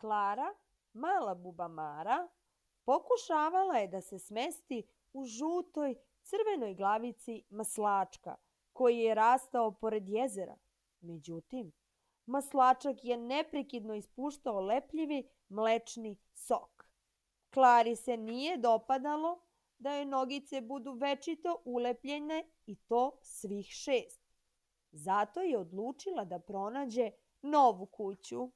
Klara, mala bubamara, pokušavala je da se smesti u žutoj crvenoj glavici maslačka koji je rastao pored jezera. Međutim, maslačak je neprekidno ispuštao lepljivi mlečni sok. Klari se nije dopadalo da joj nogice budu večito ulepljene i to svih 6. Zato je odlučila da pronađe novu kuću.